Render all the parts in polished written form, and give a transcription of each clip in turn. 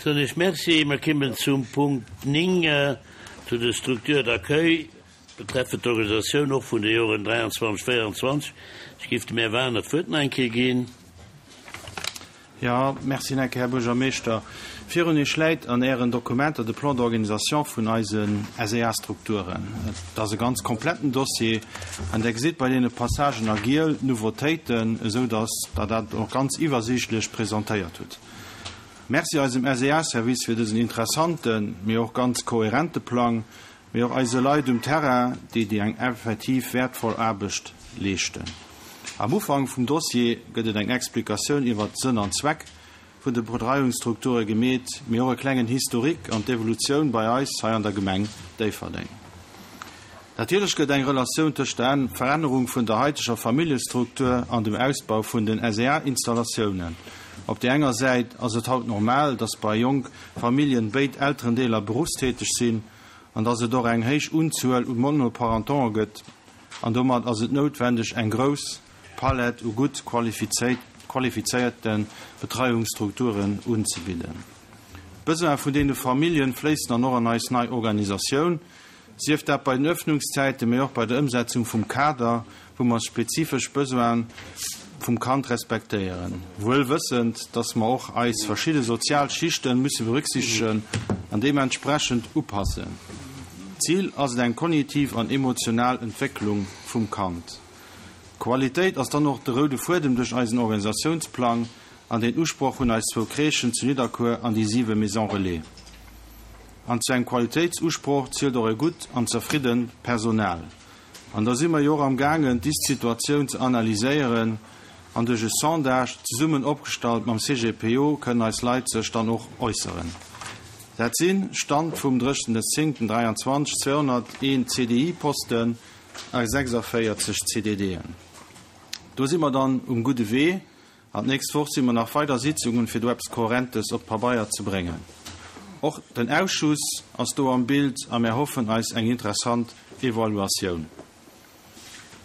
Soen ech Merci. Mer kimmen zum Punkt 9, zu de Structures d'accueil betreffend d'Organisatioun och vun de Joren 23, 24. Ech géif dem Här Wagener d'Wuert nach eng Kéier ginn. Jo, merci nach eng Kéier, Här Buergermeeschter. Virun Iech läit an Ären Dokumenter de Plan d'organisation vun eise SEA-Strukturen. Et ass e ganz kompletten Dossier an Der gesitt bei deene Passagen a giel d'Nouveautéiten, esou datt Der dat och ganz iwwersiichtlech presentéiert hutt. Merci eisem SEA-Service fir dësen interessanten, mee och ganz kohärente Plang, mee och eise Leit um Terrain, déi déi eng effektiv wäertvoll Aarbecht leeschten. Am Ufank vum Dossier gëtt et eng Explikatioun iwwert Sënn an Zweck vun de Betreiungsstrukture gemeet, mee och e klengen Historique an d'Evolutioun bei eis hei an der Gemeng Déifferdeng. Natierlech gëtt eng Relatioun tëscht der Verännerung vun der haiteger Familljestruktur an dem Ausbau vun den SEA-Installatiounen. Op där enger Säit ass et haut normal, dass bei jonk Familljen béid Elterendeeler beruffstäteg sinn an dass et och eng héich Unzuel u Monoparentantë gëtt an domat ass et noutwendeg eng grouss Palett u gutt qualifizéierte Betreiungsstrukturen unzebidden. D'Besoine vun deene Familljen fléissen dann och an eis nei Organisatioun, sief dat bei den Öffnungszäiten, mee och bei der Ëmsetzung vum Kader, wou mer spezifesch Besoine vum Kand respektéieren, wuel wëssend, dass mer och eis verschidde sozial Schichte musse berücksichtegen an deementsprechend upassen. Zil ass et eng kognitiv an emotional Entwécklung vum Kand. Qualitéit ass dann och de roude Fuedem duerch eisen Organisatiounsplang an deen Usproch hunn eis zwou Crèchen zu Nidderkuer an déi siwe Maisons Relais. An zu engem Qualitéitsusproch zielt och e gutt an zerfriddent Personal. An da si mer jo och am gaangen d'Ist-Situatioun ze analyséieren an duerch e Sondage, zesummen opgestallt mam CGPO, kënnen eis Leit sech dann och äusseren. Dat sinn, Stand vum 30.10.23, 201 CDI-Posten a 46 CDDen. Do si mer dann um gudde Wee. An d'nächst Woch si mer nach weider Sitzungen, fir do eppes Kohärentes op d'Pabeier ze bréngen. Och den Ausschuss ass do am Bild a mär hoffen eis eng interessant Evaluatioun.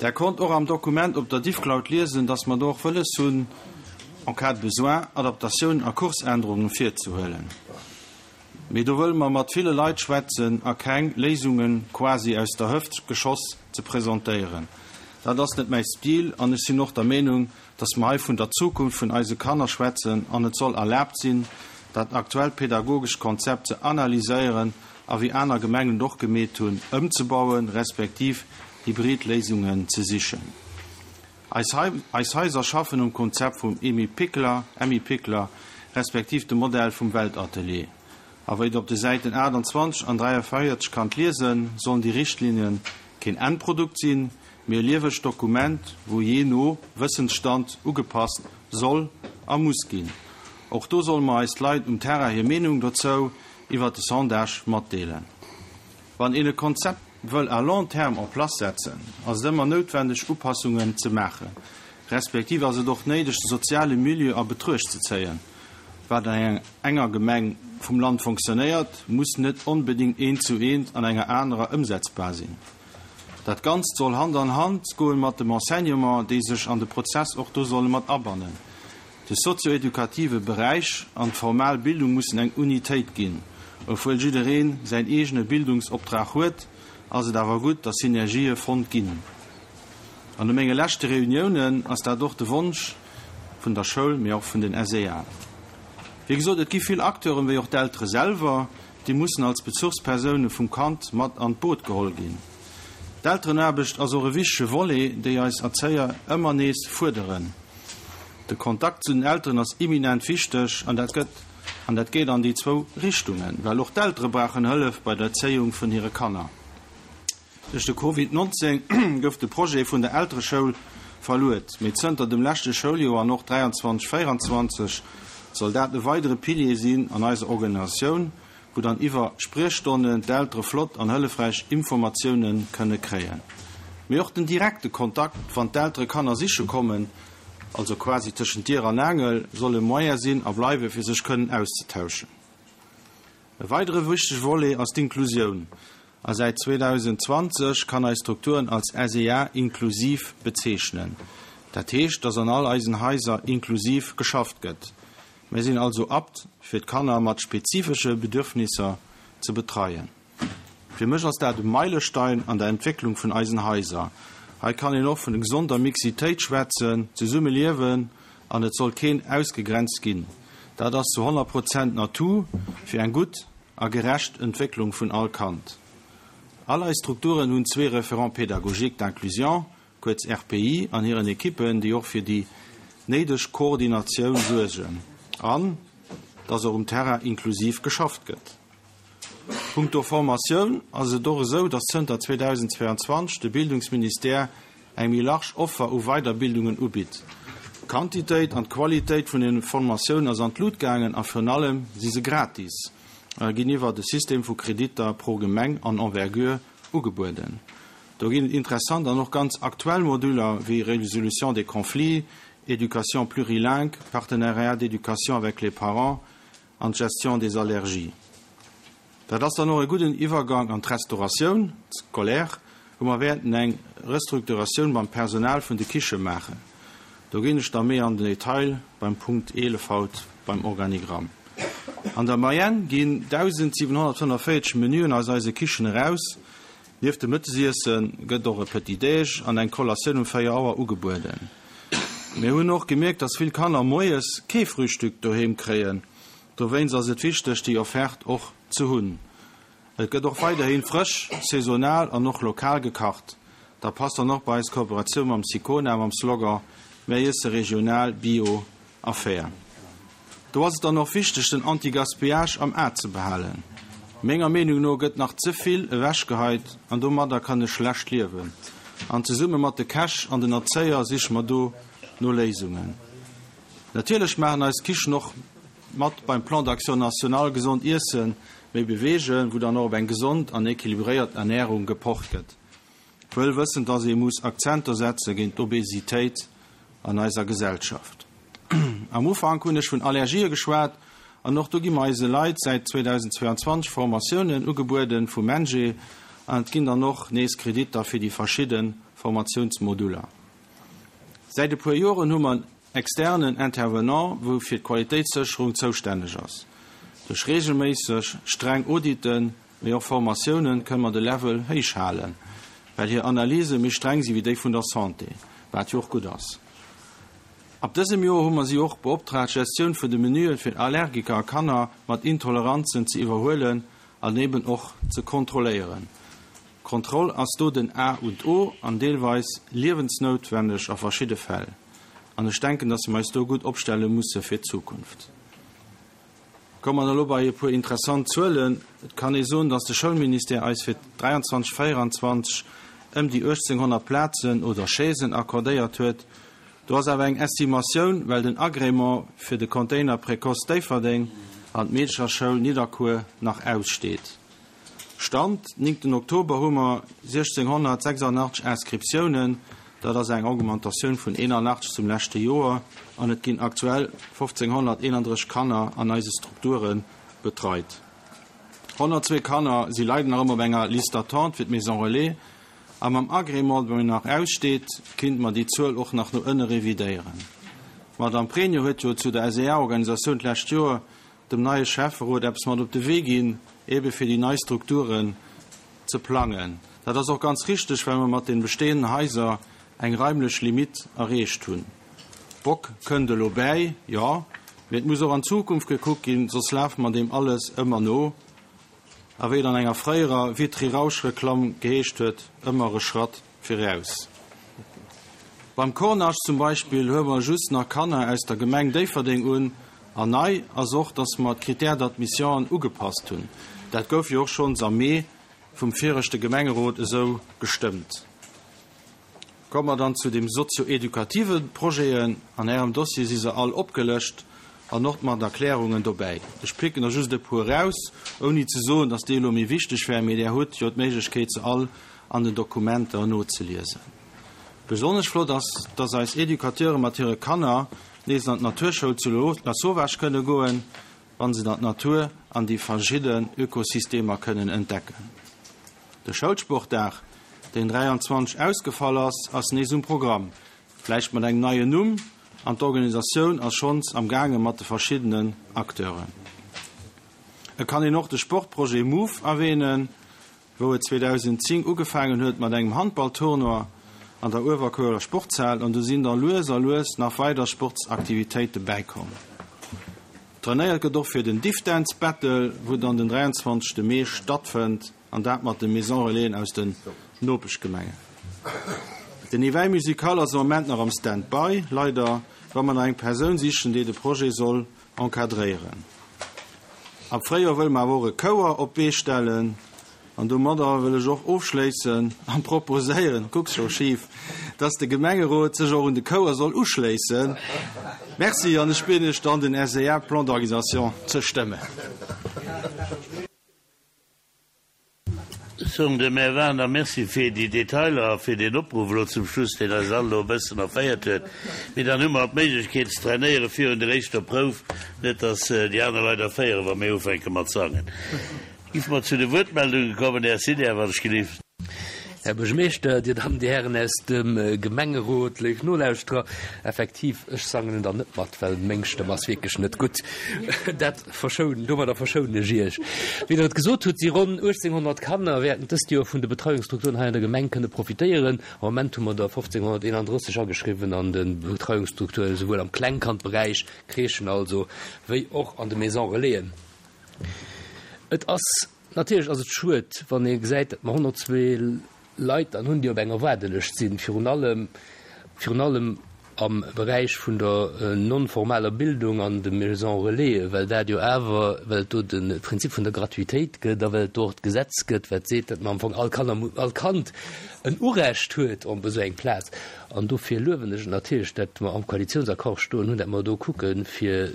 Der konnt och am Dokument op der Diffcloud liesen, dass mer do och wëlles hunn, en cas de besoin, Adaptatiounen a Kursännerungen virzehuelen. Mee do wëlle mer mat ville Leit schwätzen a keng Léisunge quasi aus der Hëft geschoss ze presentéieren. Dat ass net mäi Stil an ech sinn och der Meenung, dass mer hei vun der Zukunft vun eise Kanner schwätzen an et soll erlaabt sinn, dat aktuellt pedagogescht Konzept ze analyséieren a wéi aner Gemengen et och gemeet hunn, ëmzebauen, respektiv hybrid Léisungen ze sichen. Eis Eis Haiser schaffen um Konzept vum Emmi Pikler, Emmi Pikler, respektiv dem Modell vum Weltatelier. A wéi Der op de Säiten 28 an 43 kannt liesen, sollen déi Richtlinien keen Endprodukt sinn, mee e liewegt Dokument, wou jee no Wëssensstand ugepasst soll a muss ginn. Och do solle mer eis d'Leit um Terrain hir Meenung dozou iwwert de Sondage matdeelen. Wann een e Konzept wëll à long terme en place setzen, ass et ëmmer noutwendeg Upassungen ze maachen, respektiv ass et och néideg de soziale Milieu a Betruecht ze zéien. Wat an enger Gemeng vum Land fonctionnéiert, muss net onbedéngt eent zu eent an enger anerer ëmsetzbar sinn. Dat Ganzt soll Hand an Hand goen mat dem Enseignement, déi sech an de Prozess och do solle mat abannen. De sozio-edukative Beräich an d'formal Bildung mussen eng Unitéit ginn. Obwuel jidderee säin eegene Bildungsoptrag huet, ass et awer gutt, datt Synergië fonnt ginn. An no menge leschte Reuniounen ass dat och de Wonsch vun der Schoul, mee och vun den SEA. Wéi gesot, et gi vill Acteuren, wéi och d'Eltere selwer, déi mussen als Bezuchspersoune vum Kand mat an d'Boot geholl ginn. D'Elterenaarbecht ass och e wichtege Volet, déi eis Erzéier ëmmer nees fuerderen. De Kontakt zu den Elteren ass imminent wichteg an dat gëtt, an dat geet an déi zwou Richtungen, well och d'Eltere brauchen Hëllef bei der Erzéiung vun hire Kanner. Duerch de Covid 19 gouf de Projet vun der Eltereschoul verluet, mee zënter dem leschte Schouljoer an och 23, 24 soll dat e weidere Pilier sinn an eiser Organisatioun, wou dann iwwer Spriechstonnen d'Eltere flott an hëllefräich Informatioune kënne kréien. Mee och den direkte Kontakt, wann d'Eltere Kanner siche kommen, also quasi tëschent Dier an Aangel, soll e Moyen sinn a bleiwe fir sech kënnen auszetauschen. E weidere wichtege Volet ass d'Inklusioun a säit 2020 kann eis Strukturen als SEA inklusiv bezeechnen. Dat heescht, dass an all eisen Haiser inklusiv geschafft gëtt. Mir sinn also apt, fir d'Kanner mat spezifesche Bedürfnisser ze betreien. Fir mech ass dat e Meilestein an der Entwécklung vun eisen Haiser. Hei kann een och vun gesonder Mixitéit schwätzen, zesumme liewen an et soll keen ausgegrenzt ginn. Dat ass zu 100 Prozent en Atout fir eng gutt a gerecht Entwécklung vun all Kand. All eis Strukturen hunn zwee Référents pédagogiques d'inclusion, kuerz RPI, an hiren Ekippen, déi och fir déi néideg Koordinatioun suergen an dass och um Terrain inklusiv geschafft gëtt. Punkto Formatioun ass et och esou, dass zënter 2022 de Bildungsministère eng méi large Offer u Weiderbildungen ubitt. D'Quantitéit an d'Qualitéit vun den Formatiounen ass an d'Lut gaangen a virun allem si se gratis a ginn iwwert e System vu Kreditter pro Gemeng an Envergure ugebueden. Do ginn et interessant an och ganz aktuell Moduler wéi Résolution des conflits, Éducation plurilingue, Partenariat d'éducation avec les parents an d'Gestion des allergies. Dat ass dann och e gudden Iwwergang an d'Restauratioun scolaire, wou mer wäerten eng Restrukturatioun beim Personal vun de Kiche maachen. Do ginn ech da méi an den Detail beim Punkt 11 haut beim Organigramm. An der Moyenne ginn 1.745 Menüen aus eise Kichen eraus. Nieft dem Mëttesiesse gëtt och e Petit Déj an eng Collatioun um 4 Auer ugebueden. Mir hunn och gemierkt, dass vill Kanner moies kee Frühstück doheem kréien. Dowéinst ass et wichteg, déi Offerte och ze hunn. Et gëtt och weiderhi frësch, saisonal an och lokal gekacht. Da passt dann och bei eis Kooperatioun mam Sicona mam Slogan Mär iesse regional, bio a fair. Do ass et dann och wichteg, den Anti-Gaspillage am A ze behalen. Menger Meenung no gëtt nach ze vill ewechgeheit an domadder kann ech schlecht liewen. An zesumme mat de Käch an den Erzéier siche mer do no Léisungen. Natierlech maachen eis Kichen och mat beim Plan d'action national Gesond iessen, méi beweegen, wou dann och op eng gesond an équilibréiert Ernärung gepocht gëtt. Wuel wëssend, dass ee muss Akzenter setze géint d'Obesitéit an eiser Gesellschaft. Am Ufank hunn ech vun Allergië geschwat an och do gi mer eise Leit säit 2022 Formatiounen ugebueden vum MENJE an et ginn dann och nees Kreditter fir déi verschidde Formatiounsmoduler. Säit e puer Joren hu mer en externen Intervenant, wou fir d'Qualitéitssécherung zoustänneg ass. Duerch reegelméisseg streng Auditen, mee och Formatiounen, kënne mer de Level héich halen, well hir Analyse méi streng si wéi déi vun der Santé, wat jo och gutt ass. Ab dësem Joer hu mer si och beoptraagt, d'Gestioun vun de Menüe fir Allergiker a Kanner mat Intoleranzen ze iwwerhuelen an eben och ze kontrolléieren. Kontroll ass do den A und O an deelweis liewensnoutwenneg a verschidde Fäll. An ech denken, dass mer eis do gutt opstelle musse fir d'Zukunft. Komme mer elo bei e puer interessant Zuelen. Et kann ee soen, dass de Schoulministère eis fir 23, 24 ëm déi 1.800 Plazen oder Chaisen accordéiert huet. Do ass awer eng Estimatioun, well den Agrément fir de Container Précoce Déifferdeng an d'Meedecherschoul Nidderkuer nach aussteet. Stand néngten Oktober hu mer 1.686 Inscriptiounen, dat ass eng Augmentatioun vun 81 zum leschte Joer, an et ginn aktuell 1.531 Kanner an eise Strukture betreit. 102 Kanner si leider nach ëmmer op enger Liste d'attente fir d'Maison Relais, a mam Agrément, dee nach aussteet, kinnte mer déi Zuel och nach no ënne revidéieren. D'Madame Pregno huet jo zu der SEA-Organisatioun d'lescht Joer dem neie Schäfferot eppes mat op de Wee ginn, ebe fir déi nei Strukturen ze plangen. Dat ass och ganz richteg, well mer mat den bestehenden Haiser eng raimlech Limite erreecht hunn. Bock kënnt elo bäi, jo, mee et muss och an d'Zukunft gekuckt ginn, soss lafe mer deem alles ëmmer no. A wéi et an enger fréierer Vitry-Rausch-Reklamm geheescht huet, ëmmer e Schratt viraus. Beim Cornage zum Beispill huele mer just nach Kanner aus der Gemeng Déifferdeng un. An nei ass och, dass mer d'Critères d'admissionen ugepasst hunn. Dat gouf jo och schonns am Mee vum viregte Gemengerot esou gestëmmt. Komme mer dann zu dem sozio-edukative Projeten. An Ärem Dossier si se all opgelëscht an och mat Erklärungen dobäi. Ech picken der just e puer eraus, ouni ze soen, dass déi elo méi wichteg wären, mee Der hutt jo d'Méiglechkeet, se all an den Dokumenter nozeliesen. Besonnesch flott ass, dass eis Educateure mat hire Kanner nees an d'Naturschoul zu Lasauvage kënne goen, wann se dann d'Natur an déi verschidden Ökosystemer kënnen entdecken. De Schoulsportdag, deen 23 ausgefall ass, ass nees um Programm, vläicht mat engem neien Numm. An d'Organisatioun ass schonns am gaange mat de verschiddenen Acteuren. Et kann een och de Sportprojet Move erwähnen, wou et 2010 ugefaangen huet mat engem Handballtournoi an der Uewerkuerer Sportshal an du sinn da lues a lues nach weider Sportsaktivitéite bäikomm. Trainéiert gëtt och fir den Diff Dance Battle, wou dann den 23 Mee stattfënnt an dat mat de Maison Relaisen aus den Nopeschgemengen. Den Éveil musical ass am Moment nach am Stand-by, leider, wa mer nach eng Persoun sichen, déi de Projet soll encadréieren. Am Fréijoer wëlle mer awer och e Chouer op d'Bee stellen an domadder wëll ech och ofschléissen an proposéieren, kucks scho schif, dass de Gemengerot sech och un de Chouer soll uschléissen. Merci an ech bieden Iech dann den SEA Plan d'organisation ze stëmmen. Soen dem Här Wagener Merci fir déi Detailer a fir deen Opruff elo zum Schluss, deen eis all elo e bëssen erféiert huet. Mee dann hu mer d'Méiglechkeet ze trainéiere virun der éischter Prouf, net dass déi aner Leit erféieren, wa mir ufänke mat sangen. Giffe mer zu de Wuertmeldunge kommen. Här Sinner, wann ech gelift. Här Buergermeeschter, Dir Dammen, Dir Hären aus dem Gemengerot, léif Nolauschterer, effektiv, ech sangen dann net mat, well meng Stëmm ass wierklech net gutt. Dat verschounen, domadder verschounen ech Iech. Wéi Der et gesot hutt, si ronn 1.800 Kanner wäerten dëst Joer vun de Betreiungsstrukturen hei an der Gemeng kënne profitéieren. Am Moment hu mer der 1.531 ageschriwwen an de Betreiungsstrukturen, esouwuel am Klengkandberäich, Crèchen also, wéi och an de Maisons Relaisen. Et ass. Natierlech ass et schued, wann ee gesäit, datt mer 102 Leit dann hunn, déi op enger Waardelëscht sinn, virun allem, virun allem am Beräich vun der non-formaler Bildung an de Maisons Relaisen, well dat jo awer, well et do de Prinzip vun der Gratuitéit gëtt a well et do och d'Gesetz gëtt, wat seet, datt mer am Fong all Kanner, all Kand en Urecht huet op esou eng Plaz. An dofir luewen ech et natierlech, datt mer am Koalitionsaccord stoen hunn, datt mer do kucken, fir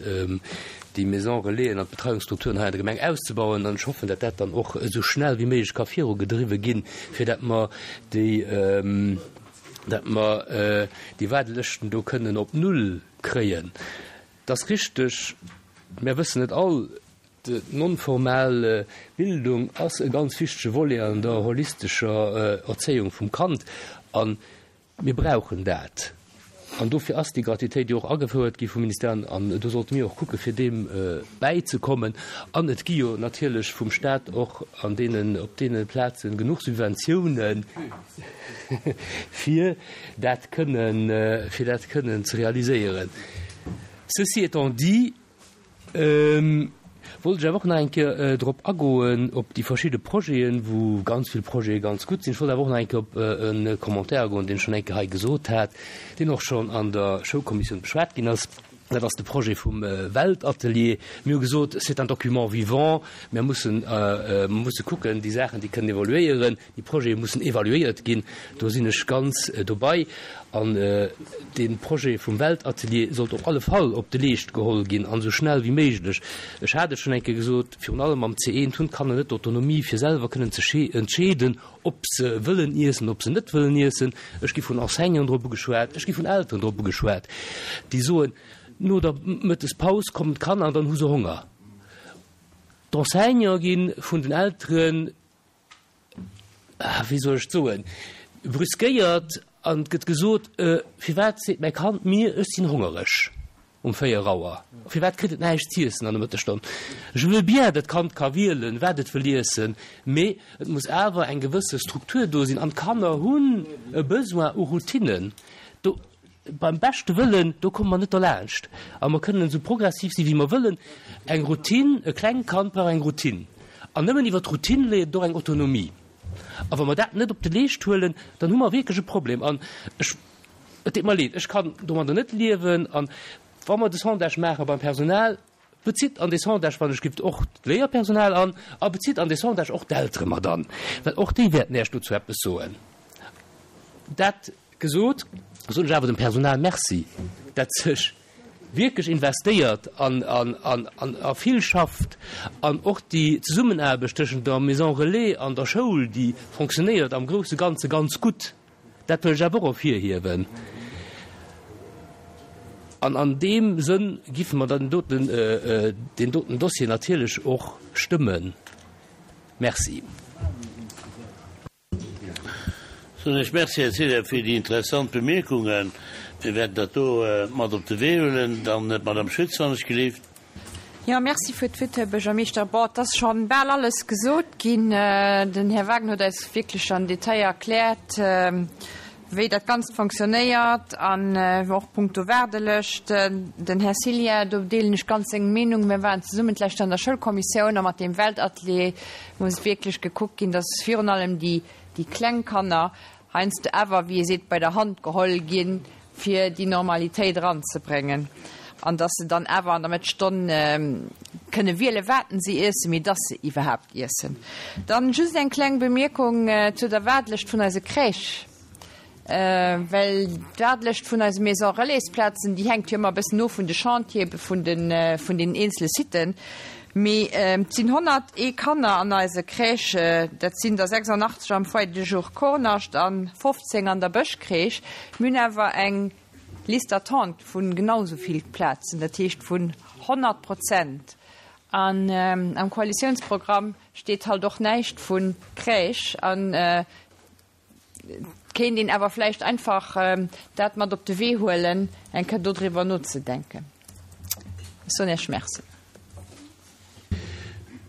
déi Maisons Relaisen an d'Betreiungsstrukturen hei an der Gemeng auszebauen. An ech hoffen, datt dat dann och esou schnell wéi méiglech ka virugedriwwe ginn, fir datt mer déi, datt mer déi Waardelëschten do kënnen op Null kréien. Et ass richteg, mär wëssen et all, D'non-formal Bildung ass e ganz wichtege Volet an der holistescher Erzéiung vum Kand a mir brauchen dat. An dofir ass déi Gratuitéit jo och agefouert gi vum Ministère an do sollte mir och kucke fir deem bäizekommen. An et gi jo natierlech vum Stat och an deenen, op deene Plaze genuch Subventiounen fir dat kënnen, fir dat kënnen ze realiséieren. Ceci étant dit, Wollt ech awer och nach eng Kéier drop agoen, op déi verschidde Projeten, wou ganz vill Projete ganz gutt sinn. Ech wollt awer och nach eng Kéier op e Commentaire agoen, deen ech schonn eng Kéier hei gesot hat, deen och schonn an der Schoulkommissioun beschwat ginn ass. Dat ass de Projet vum Weltatelier. Mir hu gesot, c'est un document vivant, mir mussen, mer musse kucken, déi Saachen, déi kënnen evoluéieren. Déi Projete mussen evaluéiert ginn, do sinn ech ganz dobei. An dee Projet vum Weltatelier sollt op alle Fall op de Leescht geholl ginn, an esou schnell wéi méiglech. Ech hat et schonn eng Kéier gesot, virun allem am C1 hunn d'Kanner net d'Autonomie, fir selwer kënnen ze entscheeden, ob se wëllen iessen, ob se net wëllen iessen. Ech gi vun Enseignanten drop ugeschwat, ech gi vun Elteren drop ugeschwat, déi soen, no der Mëttespaus kommen d'Kanner an dann hu se Honger. D'Enseignante gi vun den Elteren wéi soll ech et soen, brüskéiert an et gëtt gesot, Firwat seet mäi Kand mir, ech sinn hongereg um 4 Auer? Firwat kritt et näischt z'iessen an der Mëttesstonn? Je veux bien, dat Kand ka wielen, wat et wëll iessen, mee et muss awer eng gewësse Struktur do sinn an d'Kanner hunn e Besoin u Routinen. Do, beim beschte Wëllen, do komme mer net derlaanscht a mer kënnen esou progressiv si wéi mer wëllen, eng Routine, e klengt Kand brauch eng Routine an nëmmen iwwer d'Routine léiert et och eng Autonomie. A wa mer dat net op de Leescht huelen, dann hu mer wierklech e Problem an ech, et deet mer leed, ech kann domadder net liewen an wa mer de Sondage maache beim Personal, bezitt an dee Sondage, wann ech gift, och d'Léierpersonal an a bezitt an dee Sondage och d'Eltere mat an, well och déi wäerten Iech dozou eppes soen. Dat gesot, soen ech awer dem Personal Merci, dat sech wierklech investéiert an a vill schafft an och déi Zesummenaarbecht tëschent der Maison Relais an der Schoul, déi fonctionnéiert am grousse Ganze ganz gutt. Dat wëll ech awer och ervirhiewen. An an deem Sënn giffe mer dann doten, deen doten Dossier natierlech och stëmmen. Merci. Soen ech Merci, Här Zeller, fir déi interessant Bemierkungen. Mir wäerten dat do mat op de Wee huelen. Dann d'Madame Schütz, wann ech gelift. Jo, merci fir d'Wuert, Här Buergermeeschter. Bon, et ass scho bal alles gesot ginn. Den Här Wagner huet eis wierklech am Detail erkläert, wéi dat Ganzt fonctionnéiert an och punkto Waardelëscht. Den Här Cillien, do deelen ech ganz seng Meenung. Mir waren zesummen d'lescht an der Schoulkommissioun a mat deem Weltatelier muss wierklech gekuckt ginn, dass virun allem déi kleng Kanner heiansdo awer, wéi ee seet, bei der Hand geholl ginn, fir déi Normalitéit eranzebréngen an dass se dann awer an der Mëttesstonn kënne wielen, wat se iessen, mee dass se iwwerhaapt iessen. Dann just eng kleng Bemierkung zu der Waardelëscht vun eise Crèche, well d'Waardelëscht vun eise Maison-relais-Plazen, déi hänkt jo ëmmer e bëssen of vun de Chantiere vun den eenzele Siten. Mee et sinn 101 Kanner an eise Crèche, dat sinn der 86 am Foyer de jour Kornascht a 15 an der Bëschcrèche. Mir hunn awer eng Liste d'attente vu genau esou vill Plazen, dat heescht vun 100 Prozent. An am Koalitiounsprogramm steet halt och näischt vu Crèche. An et kéint een awer vläicht einfach dat mat op de Wee huelen, eng Kéier dodriwwer nozedenken. Ech soen Iech Merci.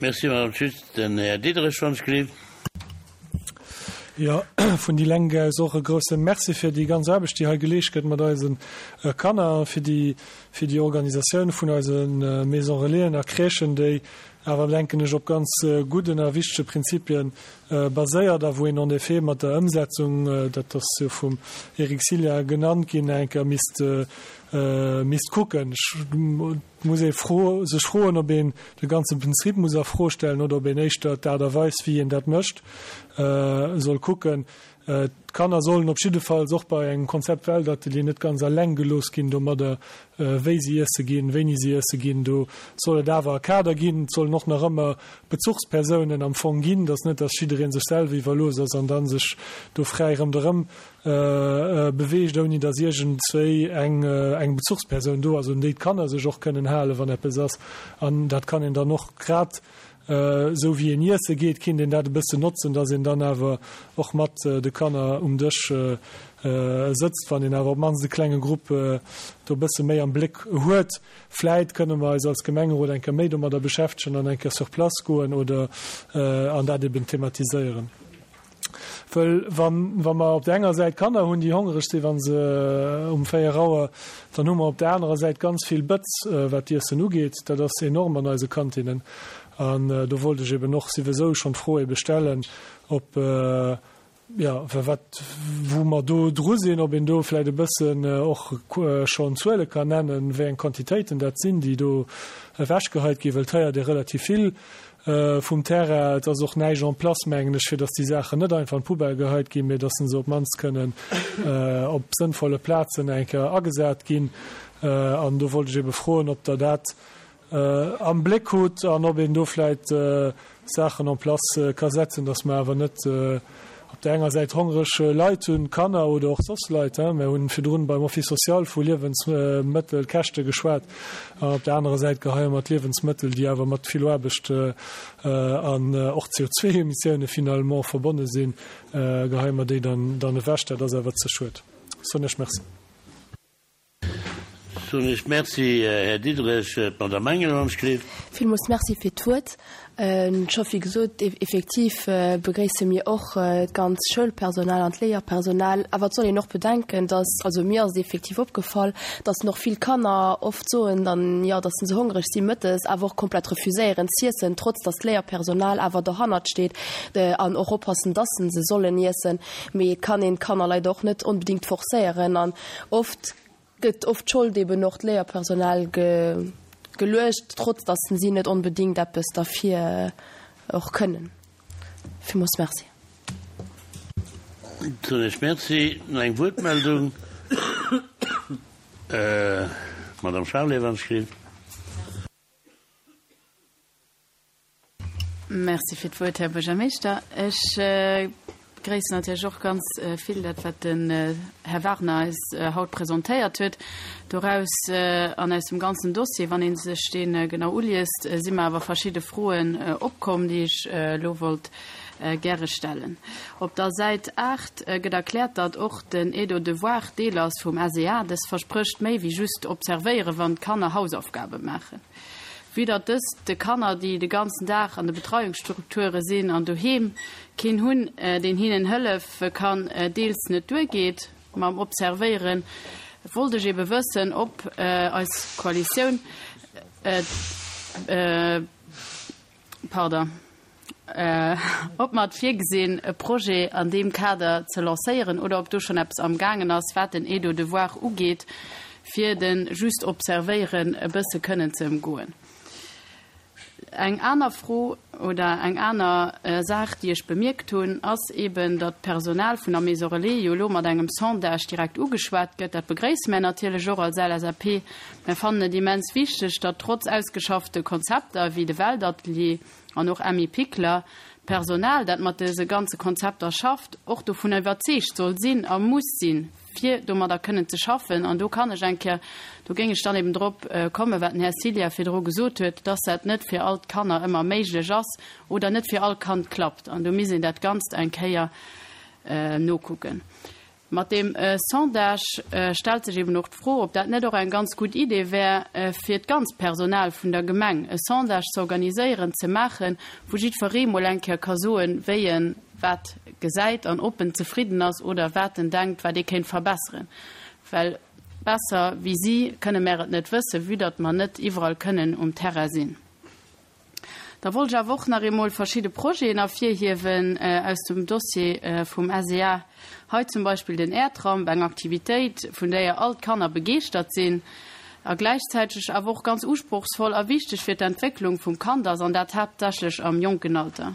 Merci, Madame Schütz. Den Här Diderich, wann ech gelift. Jo, vun déi Lenk aus och e grousse Merci fir déi ganz Aarbecht, déi hei geleescht gëtt mat eise Kanner a fir déi, fir déi Organisatioun vun eise Maison Relaisen a Crèchen, déi awer, denken ech, op ganz gudden a wichtege Prinzipien baséiert a wou een en effet mat der Ëmsetzung, dat ass jo vum Eric Sillia genannt ginn, eng Kéier misst, misst kucken. Et muss ee fro, sech froen, ob een de ganze Prinzip muss a Fro stellen oder ob een éischter d'Aart a Weis, wéi een dat mécht, soll kucken. D'Kanner sollen op jiddefalls och bei engem Konzept Weltatelier net ganz alleng gelooss ginn domadder, wéi si iesse ginn, wéini si iesse ginn. Do soll et awer e Kader ginn. Et sollen och nach ëmmer Bezuchspersounen am Fong ginn, dass net, dass jidderee sech selwer iwwerlooss ass an da sech do fräi ronderëm beweegt, ouni dass iergendswéi eng eng Bezuchspersoun do ass, un déi d'Kanner sech och kënnen halen, wann eppes ass. An dat kann een dann och grad Esou wéi een iesse geet, kinnt een dat e bëssen notzen, dass een dann awer och mat de Kanner um Dësch sëtzt, wann een awer op d'mannst e klenge Grupp do e bësse méi am Bléck huet. Vläit kënne mer eis als Gemengerot eng Kéier méi domadder beschäftegen an eng Kéier sur place goen oder an dat eben thematiséieren. Wëll wann, wa mer op där enger Säit Kanner hunn, déi hongereg sinn, wa se um 4 Auer, dann hu mer op där anerer Säit ganz vill Bëtz, wat d'Iessen ugeet. Dat ass enorm an eise Kantinnen. An do wollt ech eben och siwesou schonn d'Fro ebe stellen, ob, jo, wat, wou mer do dru sinn, ob een do vläicht e bëssen och schonn Zuele kann nennen, wéi eng Quantitéiten dat sinn, déi do ewechgeheit ginn, wëll et héiert ee relativ vill vum Terrain. Et ass och näischt en place, mengen ech, fir datt déi Saachen net einfach an d'Poubelle geheit ginn, mee datt se op d'mannst kënnen op sënnvolle Plazen eng Kéier agesat ginn. An do wollt ech ebe froen, ob Der dat am Bléck hutt an ob een do vläicht Saachen en place ka setzen, datt mer awer net op där enger Säit hongreg Leit hunn, Kanner oder och soss Leit, mir hunn virdrun beim Office social vu Liewensmëttelkäschte geschwat, an op där anerer Säit geheie mer d'Liewensmëttel, déi awer mat vill Aarbecht an och CO2-Emissioune finalement verbonne sinn, geheie mer déi dann ewech. Dat ass awer ze schued. Soen ech Merci. Soen ech Merci, Här Diderich. D'Madame Engel hunn ech gelift. Villmools Merci fir d'Wuert. Scho wéi gesot, effektiv begréisse mir och d'ganz Schoulpersonal an d'Léierpersonal. Awer et soll een och bedenken, dass, also mir ass et effektiv opgefall, dass och vill Kanner oft soen dann, jo, dass se hongreg si mëttes, awer och komplett refuséieren z'iessen, trotz dass d'Léierpersonal awer dohannert steet an och oppassen, dass se sollen iessen. Mee et kann een d'Kanner leider och net onbedéngt forcéieren an oft gëtt oft d'Schold eben och d'Léierpersonal geluecht, trotz datt si net onbedéngt eppes derfir och kënnen. Villmools Merci. Soen ech Merci. Nach eng Wuertmeldung? Madame Charlé, wann ech gelift. Merci fir d'Wuert, Här Buergermeeschter. Ech. begréissen natierlech och ganz vill dat, wat den Här Wagner eis haut presentéiert huet. Doraus an aus dem ganzen Dossier, wann ee sech dee genau uliest, si mer awer verschidde Froen opkomm, déi ech elo wollt gäre stellen. Op der Säit 8 gëtt erkläert, datt och den Aide aux devoirs Deel ass vum SEA. Dës versprécht méi wéi just observéieren, wann d'Kanner Hausaufgabe maachen. Vue datt dëst de Kanner, déi de ganzen Dag an de Betreiungsstrukture sinn an doheem keen hunn, deen hinnen hëllefe kann, deels net duergeet mam Observéieren, wollt ech ebe wëssen, ob eis Koalitioun, pardon, ob mer et virgesinn, e Projet an deem Kader ze lancéieren oder ob do schonn eppes amgaangen ass, wat den Aide aux devoirs ugeet, fir de just Observéieren e bësse kënnen ze ëmgoen. Eng aner Fro oder eng aner Saach, déi ech bemierkt hunn, ass eeben, datt d'Personal vun der Maison Relais jo elo mat engem Sondage direkt ugeschwat gëtt. Dat begréisse mär natierlech och als LSAP. Mär fannen et immens wichteg, datt trotz ausgeschaffte Konzepter wéi de Weltatelier an och Emmi Pikler, d'Personal, dat mat dëse ganze Konzepter schafft, och dovunner iwwerzeegt soll sinn a muss sinn, fir domadder kënnen ze schaffen. An do kann ech eng Kéier, do géing ech dann eben drop kommen, wat den Här Cilla virdru gesot huet, dass dat net fir all d'Kanner ëmmer méiglech ass oder net fir all Kand klappt. An do misst een dat Ganzt eng Kéier nokucken. Mat deem Sondage stellt sech eben och d'Fro, ob dat net och eng ganz gutt Idee wär, fir d'ganzt Personal vun der Gemeng e Sondage ze organiséieren, ze maachen, wou jiddferee mol eng Kéier ka soen, wéi en wat gesäit an ob en zefridden ass oder wat en denkt, wat ee kéint verbesseren. Well besser wéi si kënne mär et net wëssen, vue datt mer net iwwerall kënnen um Terrain sinn. Da wollt ech awer och nach eemol verschidde Projeten ervirhiewen aus dem Dossier vum SEA. Hei zum Beispill den Airtramp, eng Aktivitéit, vun déier all d'Kanner begeeschtert sinn a gläichzäiteg awer och ganz usprochsvoll a wichteg fir d'Entwécklung vum Kand ass, an dat haaptsächlech am jonken Alter.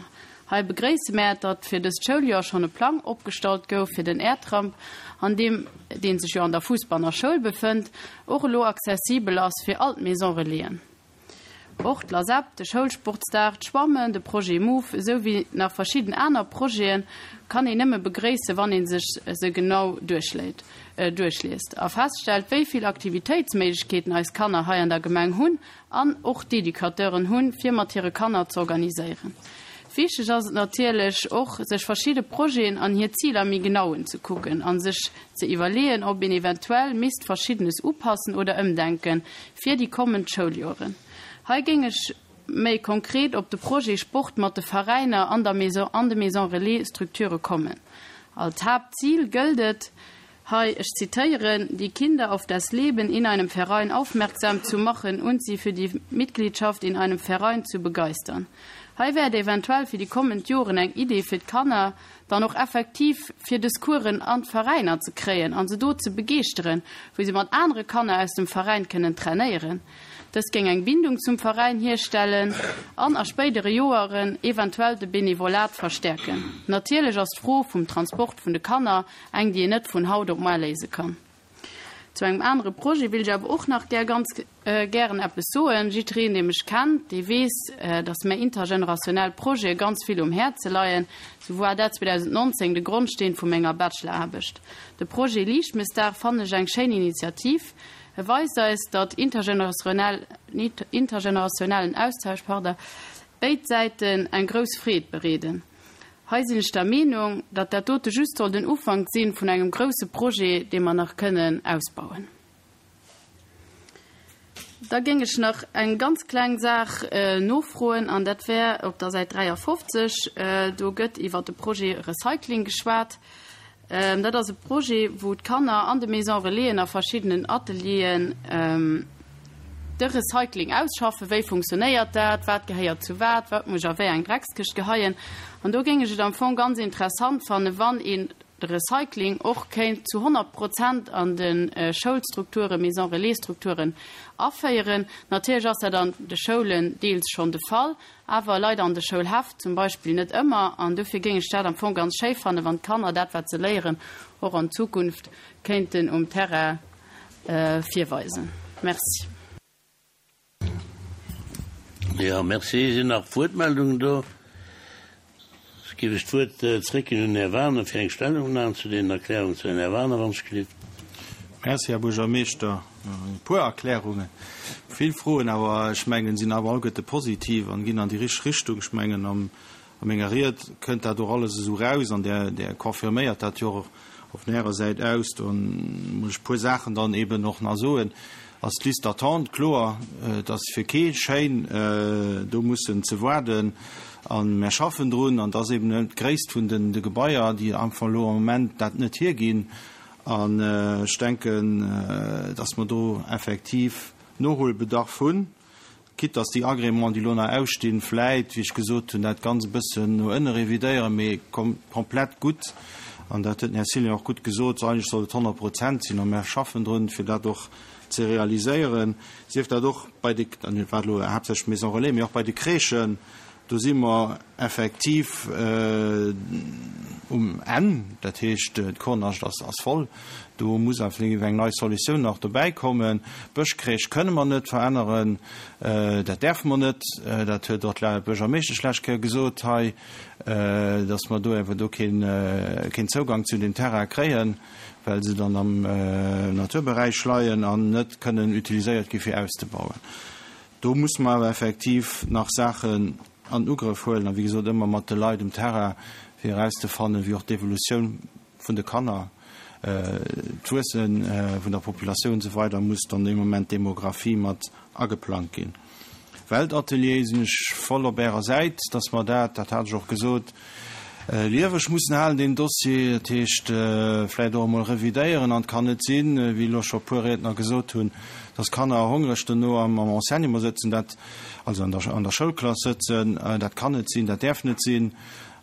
Hei begréisse mär, datt fir dëst Schouljoer schonn e Plang opgestallt gouf fir den Airtramp, an deem, dee sech jo an der Fuussbanner Schoul befënnt, och elo accessibel ass fir all d'Maison Relaisen. Och d'LASEP, de Schoulsportsdag, d'Schwammen, de Projet Move esou wéi nach verschidden aner Projete kann een nëmme begréissen, wann ee sech se genau duerchléit, duerchliest a feststellt, wéi vill Aktivitéitsméiglechkeeten eis Kanner hei an der Gemeng hunn an och d'Educateuren hunn, fir mat hire Kanner z'organiséieren. Wichteg ass et natierlech och, sech verschidde Projeten an hir Ziler méi genau unzekucken a sech ze iwwerleeën, ob een eventuell misst Verschiddenes upassen oder ëmdenken fir déi kommend Schouljoren. Hei géing ech méi konkret op de Projet Sport mat de Veräiner an der Maison an de Maison Relais Structure kommen. Als Haaptzil gëllt et hei, ech zitéieren, die Kinder auf das Leben in einem Verein aufmerksam zu machen und sie für die Mitgliedschaft in einem Verein zu begeistern. Hei wär et eventuell fir déi kommend Joren eng Idee fir d'Kanner dann och effektiv fir des Coursen an d'Veräiner ze kréien an se do ze begeeschteren, wou se mat anere Kanner aus dem Veräin kënnen trainéieren. Dëst géing eng Bindung zum Veräin hierstellen an a spéidere Joeren eventuell de Benevolat verstäerken. Natierlech ass d'Fro vum Transport vun de Kanner eng, déi een net vun haut op moar léise kann. Zu engem anere Projet wéilt ech awer och nach gär ganz gären eppes soen. Jiddereen, dee mech kennt, dee weess, dass mär intergenerationell Projete ganz vill um Häerze leien. Sou war dat 2019 de Grondsteen vu menger Bachelor-Aarbecht. De Projet Liichtmëssdag fannen ech eng schéin Initiativ. E weist eis, datt intergenerationellen Austausch, pardon, béid Säiten eng grouss Freed bereeden. Hei sinn ech der Meenung, datt dat dote just soll den Ufank sinn vun engem grousse Projet, dee mer nach kënnen ausbauen. Da géing ech nach eng ganz kleng Saach nofroen, an dat wär op der Säit 53. Do gëtt iwwert de Projet Recycling geschwat. Dat ass e Projet, wou d'Kanner an de Maisons Relaisen a verschiddenen Atelieren de Recycling ausschaffen. Wéi funktionéiert dat? Wat gehéiert zu wat? Wat muss ech a wéi eng Dreckskëscht geheien? An do géing ech et am Fong ganz interessant fannen, wann een de Recycling och kéint zu 100 Prozent an de Schoulstrukturen, Maisons Relais-Strukturen aféieren. Natierlech ass dat an de Schoulen deels schonn de Fall, awer leider an de Schoulhäff zum Beispill net ëmmer. An dofir géing ech dat am Fong ganz schéi fannen, wann d'Kanner dat, wat se léieren, och an Zukunft kéinten um Terrain virweisen. Merci. Jo, merci. Sinn nach Wuertmeldungen do? Géif ech d'Wuert zréckginn un den Här Wagener fir eng Stellungnahme zu deenen Erklärungen. Zu den Här Wagener, wann ech gelift. Merci, Här Buergermeeschter. E puer Erklärungen, vill Froen, awer ech mengen, sinn awer alleguerte positiv an ginn an déi richteg Richtung. Ech mengen, am A menger Ried kënnt dat och alles esou raus an Der, Der confirméiert dat jo och op Ärer Säit aus. Do muss ech e puer Saachen dann eeben och nach soen. Ass d'Liste d'attente, kloer, et ass fir kee schéin, do mussen ze waarden. A mär schaffen drun an et ass eeben d'Gréisst vun den de Gebaier, déi einfach elo am Moment dat net hierginn. An ech denken, dass mer do effektiv Nohuelbedarf hunn. Quitte dass déi Agréments, déi elo nach ausstinn, vläit, wéi ech gesot hunn, dat Ganzt e bëssen no ënne revidéieren, mee komplett gutt, an dat huet den Här Cillien och gutt gesot, eigentlech sollt et 100 Prozent sinn, a mer schaffen drun, fir dat och ze realiséieren, sief dat och bei de, dat war elo haaptsächlech Maisons Relais, mee och bei de Crèchen, Do si mer effektiv um Enn, dat heescht, d'Kornascht ass voll. Do muss effektiv eng nei Solutioun nach dobäi kommen. D'Bëschcrèche kënne mer net veränneren, dat däerfe mer net. Dat huet och d'Buergermeeschtesch d'lescht Kéier gesot hei, datt mer do awer do keen Zougang zu deem Terrain kréien, well se dann am Naturberäich leien an net kënnen utiliséiert gi fir auszebauen. Do musse mer awer effektiv nach Saachen an Ugrëff huelen a wéi gesot ëmmer mat de Leit um Terrain, fir erauszefannen, wéi och d'Evolutioun vun de Kanner, d'Wuesse vun der Populatioun und esou weider muss dann dee Moment d'Demographie mat ageplangt ginn. Weltatelier sinn ech voll op Ärer Säit, dass mer dat, dat hat ech och gesot, lieweg mussen halen, deen Dossier, dat heescht vläicht och emol revidéieren. An et kann net sinn, wéi elo scho e puer Riedner gesot hunn, dass Kanner hongreg dono am Enseignement sëtzen, dat, also an der, an der Schoulklass sëtzen. Dat kann net sinn, dat däerf net sinn.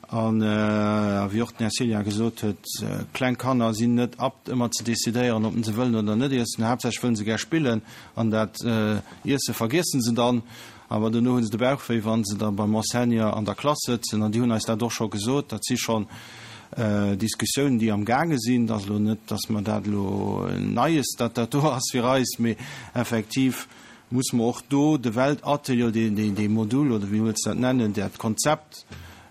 An, wéi och den Här Cillien gesot huet, kleng Kanner sinn net apt ëmmer ze decidéieren, ob se wëllen oder net iessen. Haaptsächlech wëllen se gär spillen an dat Iesse vergiessen se dann. Awer dono hu se de Bauch wéi, wa se da beim Enseignant an der Klass sëtzen. An déi hunn eis dat och scho gesot. Dat si schonn Diskussiounen, déi am gaange sinn. Et ass elo net, datt mer dat elo Neies, datt dat do ass fir eis, mee effektiv muss mer och do de Weltatelier, dee Modul oder wéi wëlls de dat nennen, dat Konzept,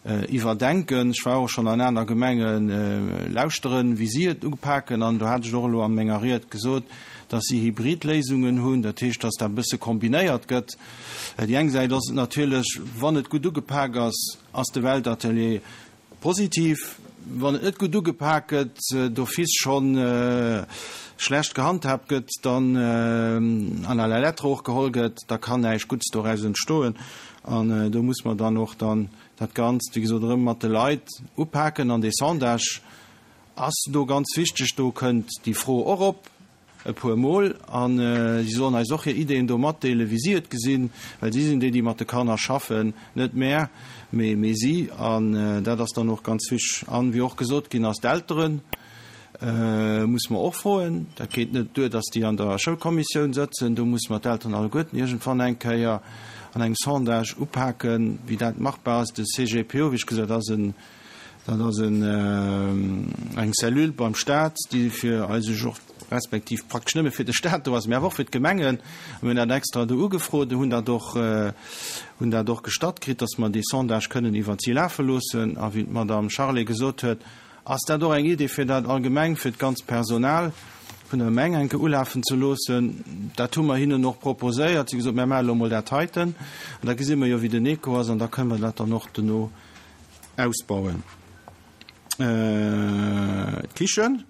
Iwwerdenken. Ech war och schonn an aner Gemenge lauschteren, wéi si et upaken. An do hat ech och elo a menger Ried gesot, dass si Hybridléisungen hunn, dat heescht, dass dat e bësse kombinéiert gëtt. Déi eng Säit ass et natierlech, wann et gutt ugepak ass, ass de Weltatelier positiv. Wann et net gutt ugepak gëtt, d'office schonn schlecht gehandhaabt gëtt, dann an à la lettre och geholl gëtt, da kann näischt Gutts doraus entstoen. An do muss mer dann och dann dat Ganzt, wéi gesot, erëm mat de Leit upaken. An dee Sondage ass do ganz wichteg. Do kënnt déi Fro och op e puer Mol. A si sollen eis och hir Ideeën do matdeelen, wéi si et gesinn, well si sinn déi, déi mat de Kanner schaffen, net mär, mee si. An dat ass dann och ganz wichteg. An, wéi och gesot ginn ass, d'Elteren. Musse mer och froen. Dat geet net duer, dass déi an der Schoulkommissioun sëtzen. Do musse mer d'Elteren alleguerten iergendwann eng Kéier an engem Sondage upaken, wéi dat machbar ass. De CGPO, wéi ech gesot, ass en, dat ass en, eng Cellule beim Stat, déi fir eis och, respektiv praktesch nëmme fir de Stat do ass, mä awer och fir d'Gemengen. Mir hunn dat extra do ugefrot, hunn dat och, hunn dat och gestatt kritt, dass mer dee Sondage kënnen iwwert si lafe loossen. A wéi d'Madame Charlé gesot huet, Ass dat och eng Idee fir dat allgemeng fir d'ganzt Personal vun der Gemeng eng Kéier ulafen ze loossen? Dat hu mer hinnen och proposéiert. Si hu gesot, Mär maache elo emol dat heiten an da gesi mer jo wéi den Echo ass an da kënnen mer dat dann och dono ausbauen. D'Kichen.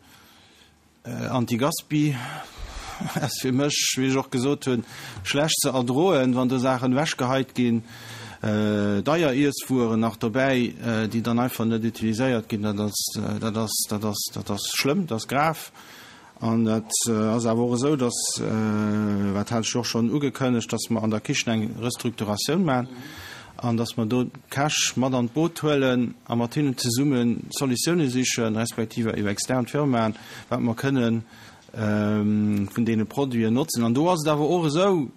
Anti-Gaspi ass fir mech, wéi ech och gesot hunn, schlecht ze erdroen, wann do Saachen ewechgeheit ginn, deier Iesswueren nach dobäi, déi dann einfach net utiliséiert ginn. Dat ass, dat ass, dat ass, dat ass schlëmm, dat ass grav. An dat ass awer och esou, dass, wat hat ech jo och schonn ugekënnegt, dass mer an der Kichen eng Restrukturatioun maachen an dass mer do d'Käch mat an d'Boot huelen a mat hinnen zesumme Solutioune sichen, respektiv iwwer extern Firmaen, wat mer kënne vun deene Produiten notzen. An do ass et awer och esou,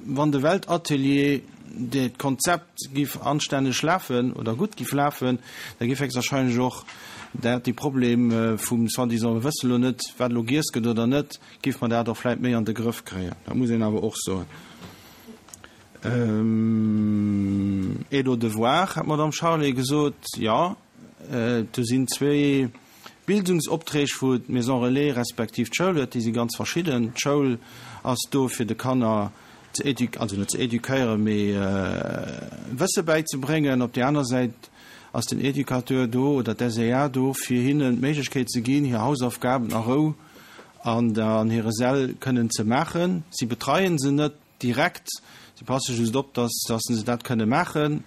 wann de Weltatelier, dat Konzept giff anstänneg lafen oder gutt giff lafen, da giff héchstwahrscheinlech och dat, dee Problem vum soi-disant, mir wësse lo net, wat elo giess gëtt oder net, giff mer dat och vläit méi an de Grëff kréien. Dat muss een awer och soen. Aide aux devoirs, hat d'Madame Charlé gesot. Jo. Do sinn zwéi Bildungsopträg, wou d'Maison Relais respektiv d'Schoul huet, déi si ganz verschidden. D'Schoul ass do fir de Kanner ze édu, also net ze éduquéieren, mee Wësse bäizebréngen. Op där aner Säit ass den Éducateur do oder d'SEA do, fir hinnen d'Méiglechkeet ze ginn, hir Hausaufgaben a Rou an an hire Säll kënnen ze maachen. Si betreien se net direkt, si passe just op, dass dass se dat kënne maachen.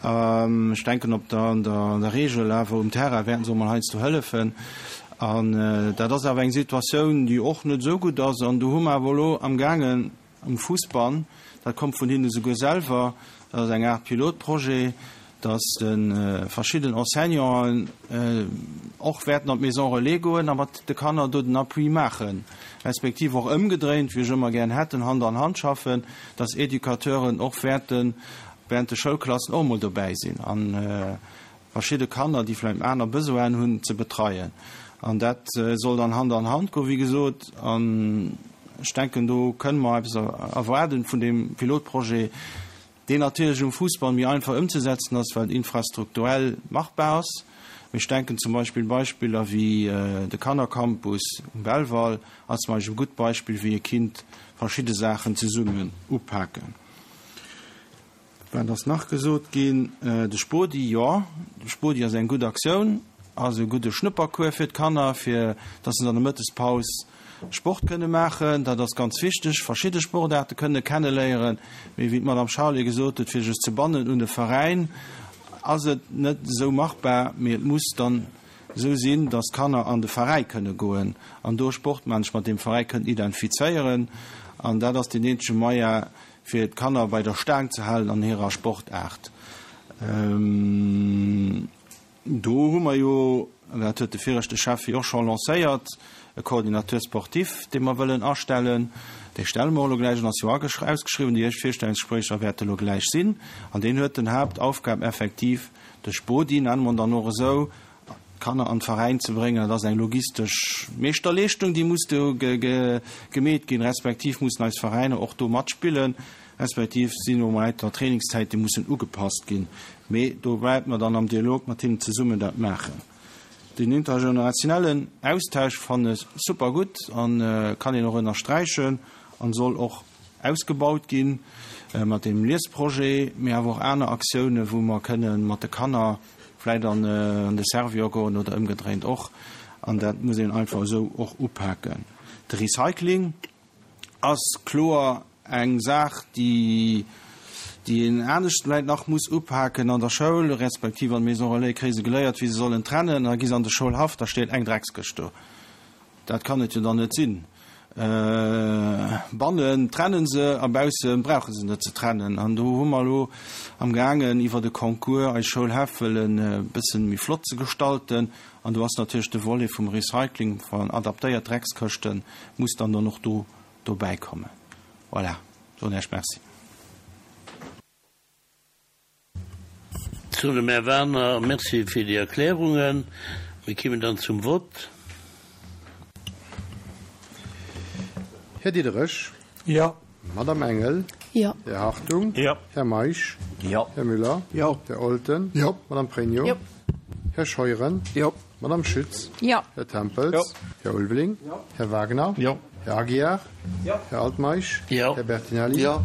Ech denken op der an der an der Regel awer um Terrain wäerten se och mol heiansdo hëllefen. An dat ass awer eng Situatioun, déi och net esou gutt ass. An do hu mer awer elo amgaangen, Um Fussbann, dat kommt vun hinne souguer selwer, dat ass eng Aart Pilotprojet, dass de verschidden Enseignanten och wäerten an d'Maison relais goen a mat de Kanner do den Appui maachen, respektiv och ëmgedréint, wéi ech ëmmer gären hätt, Hand an Hand schaffen, dass Educateuren och wäerte während de Schoulklassen och emol dobäi sinn. Verschidde Kanner, déi vläicht aner Besoinen hunn, ze betreien. An dat soll dann Hand an Hand goen, wéi gesot. An ech denken, do kënne mer eppes erwaarden vun deem Pilotprojet, deen natierlech um Fussball méi einfach ëmzesetzen ass, well et infrastrukturell machbar ass. Mee ech denken zum Beispill Beispiller wéi de Kannercampus um Belval ass zum Beispill e gutt Beispill, wéi ee kinnt verschidde Saachen zesummen upaken. Wat ass nach gesot ginn? De Spodi, jo, de Spodi ass eng gutt Aktioun, ass e gudde Schnuppercours fir d'Kanner, fir dass se an der Mëttespaus Sport kënne maachen. Dat ass ganz wichteg, verschidde Sportaarte kënne kenneléieren. Mee wéi d'Madame Charlé gesot huet, fir sech ze bannen un e Veräin, ass et net esou machbar. Mee et muss dann esou sinn, dass d'Kanner an de Veräi kënne goen an do Sport maachen, sech mat deem Veräi kënnen identifizéieren. An dat ass deen eenzege Moyen, fir d'Kanner bei der Staang ze halen an hirer Sportaart. Do hu mer jo, an dat huet de viregte Schäffi och scho lancéiert, e Coordinateur sportif, dee mer wëllen astellen. Dee stelle mer och elo gläich an, ass jo ausgeschriwwen. Déi éischt Virstellungsgespréicher wäerte elo gläich sinn. An deen huet den Haaptaufgab effektiv, de Spodi, nenne mer en dann och esou, d'Kanner an d'Veräin ze bréngen, dat ass eng logistesch Meeschterleeschtung, déi muss do gemeet ginn, respektiv mussen eis Veräiner och do matspillen, respektiv sinn och weider Trainingszäite mussen ugepasst ginn. Mee do wäerte mer dann am Dialog mat hinnen zesummen dat maachen. Den intergenerationellen Austausch fannen ech super gutt a kann een och ënnersträichen an soll och ausgebaut ginn mat deem Liesprojet, mee awer och aner Aktiounen, wou mer kënnen mat de Kanner vläit an de Servior goen oder ëmgedréint och. An dat muss een einfach esou och upaken. De Recycling ass kloer eng Saach, déi déi een anescht vläit nach muss upaken an der Schoul, respektiv an de Maisons relais kréie se geléiert, wéi se sollen trennen. Da gi se an de Schoulhaff, da steet eng Dreckskëscht do. Dat kann et jo dann net sinn. Bannen trennen se a bausse brauche se net ze trennen. An do hu mer elo amgaangen iwwert e Concours eis Schoulhäff wëllen e bëssen méi flott ze gestalten. An do ass natierlech de Volet vum Recycling van adaptéiert Dreckskëschten muss dann dann och do dobäi kommen. Voilà, soen Iech Merci. Zu dem Här Werner, Merci fir déi Erklärungen. Mir kimmen dann zum Vott. Här Diderich. Jo. Madame Engel. Jo. Här Hartung. Jo. Här Meisch. Jo. Här Müller. Jo. Här Olten. Jo. Madame Pregno. Jo. Här Scheuren. Jo. Madame Schütz. Jo. Här Tempels. Jo. Här Ulveling. Jo. Här Wagner. Jo. Här Aguiar. Jo. Här Altmeisch. Jo. Här Bertinelli. Jo.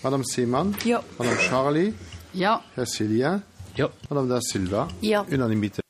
Madame Seemann. Jo. Madame Charlé. Jo. Här Cillien. Jo. Madame Da Silva. Jo. Unanimité.